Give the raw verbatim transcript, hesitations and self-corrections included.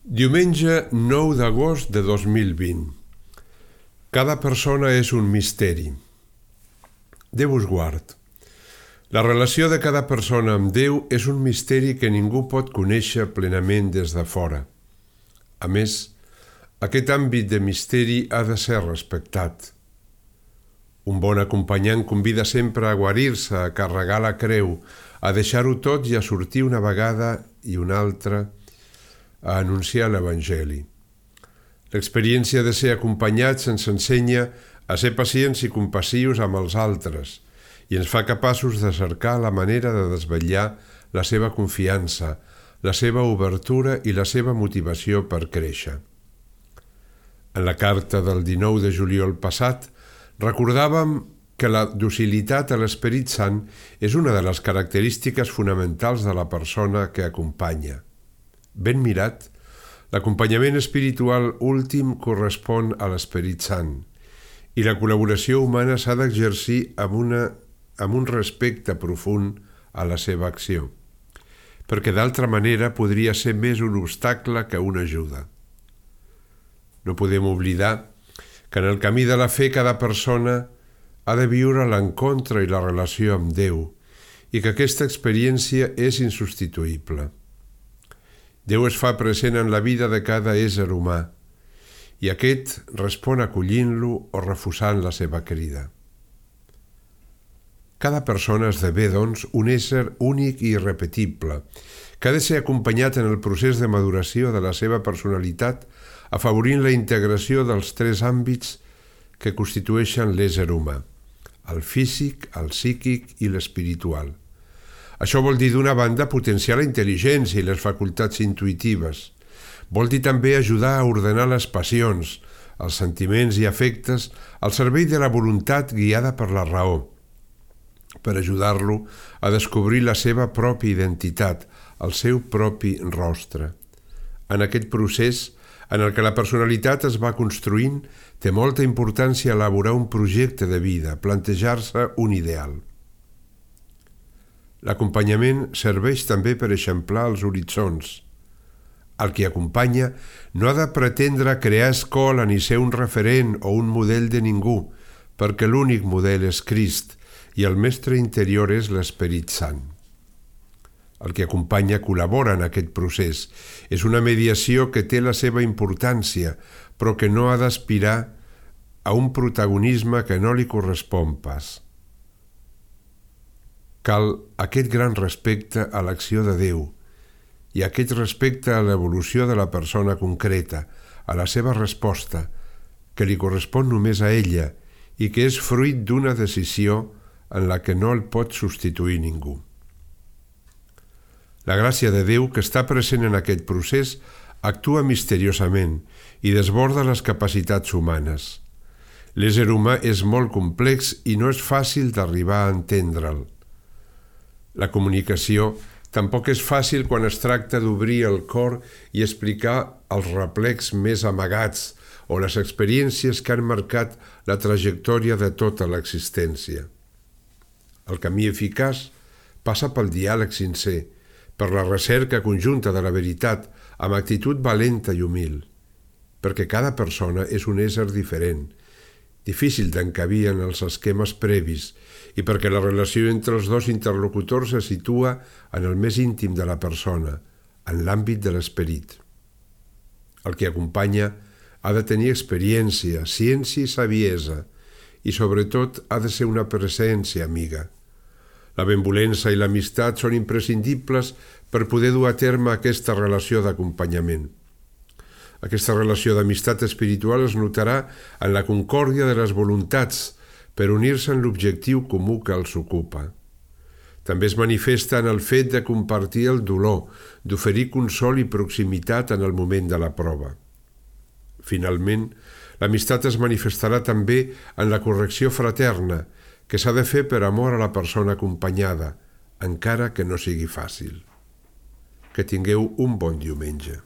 Diumenge nou d'agost de dos mil vint. Cada persona és un misteri. Déu us guard. La relació de cada persona amb Déu és un misteri que ningú pot conèixer plenament des de fora. A més, aquest àmbit de misteri ha de ser respectat. Un bon acompanyant convida sempre a guarir-se, a carregar la creu, a deixar-ho tot i a sortir una vegada i una altra a anunciar l'Evangeli. L'experiència de ser acompanyats ens ensenya a ser pacients i compassius amb els altres i ens fa capaços de cercar la manera de desvetllar la seva confiança, la seva obertura i la seva motivació per créixer. En la carta del dinou de juliol passat recordàvem que la docilitat a l'Esperit Sant és una de les característiques fonamentals de la persona que acompanya. Ben mirat, l'acompanyament espiritual últim correspon a l'Esperit Sant i la col·laboració humana s'ha d'exercir amb, una, amb un respecte profund a la seva acció, perquè d'altra manera podria ser més un obstacle que una ajuda. No podem oblidar que en el camí de la fe cada persona ha de viure l'encontre i la relació amb Déu i que aquesta experiència és insubstituïble. Déu es fa present en la vida de cada ésser humà i aquest respon acollint-lo o refusant la seva crida. Cada persona esdevé, doncs, un ésser únic i irrepetible, que ha de ser acompanyat en el procés de maduració de la seva personalitat, afavorint la integració dels tres àmbits que constitueixen l'ésser humà, el físic, el psíquic i l'espiritual. Això vol dir, d'una banda, potenciar la intel·ligència i les facultats intuïtives. Vol dir també ajudar a ordenar les passions, els sentiments i afectes al servei de la voluntat guiada per la raó, per ajudar-lo a descobrir la seva pròpia identitat, el seu propi rostre. En aquest procés, en el que la personalitat es va construint, té molta importància elaborar un projecte de vida, plantejar-se un ideal. L'acompanyament serveix també per eixamplar els horitzons. El qui acompanya no ha de pretendre crear escola ni ser un referent o un model de ningú, perquè l'únic model és Crist i el mestre interior és l'Esperit Sant. El que acompanya col·labora en aquest procés. És una mediació que té la seva importància, però que no ha d'aspirar a un protagonisme que no li correspon pas. Cal aquest gran respecte a l'acció de Déu i aquest respecte a l'evolució de la persona concreta, a la seva resposta, que li correspon només a ella i que és fruit d'una decisió en la que no el pot substituir ningú. La gràcia de Déu, que està present en aquest procés, actua misteriosament i desborda les capacitats humanes. L'ésser humà és molt complex i no és fàcil d'arribar a entendre'l. La comunicació tampoc és fàcil quan es tracta d'obrir el cor i explicar els replecs més amagats o les experiències que han marcat la trajectòria de tota l'existència. El camí eficaç passa pel diàleg sincer, per la recerca conjunta de la veritat amb actitud valenta i humil, perquè cada persona és un ésser diferent, difícil d'encabir en els esquemes previs i perquè la relació entre els dos interlocutors se situa en el més íntim de la persona, en l'àmbit de l'esperit. El que acompanya ha de tenir experiència, ciència i saviesa i, sobretot, ha de ser una presència amiga. La benvolença i l'amistat són imprescindibles per poder dur a terme aquesta relació d'acompanyament. Aquesta relació d'amistat espiritual es notarà en la concòrdia de les voluntats per unir-se en l'objectiu comú que els ocupa. També es manifesta en el fet de compartir el dolor, d'oferir consol i proximitat en el moment de la prova. Finalment, l'amistat es manifestarà també en la correcció fraterna, que s'ha de fer per amor a la persona acompanyada, encara que no sigui fàcil. Que tingueu un bon diumenge.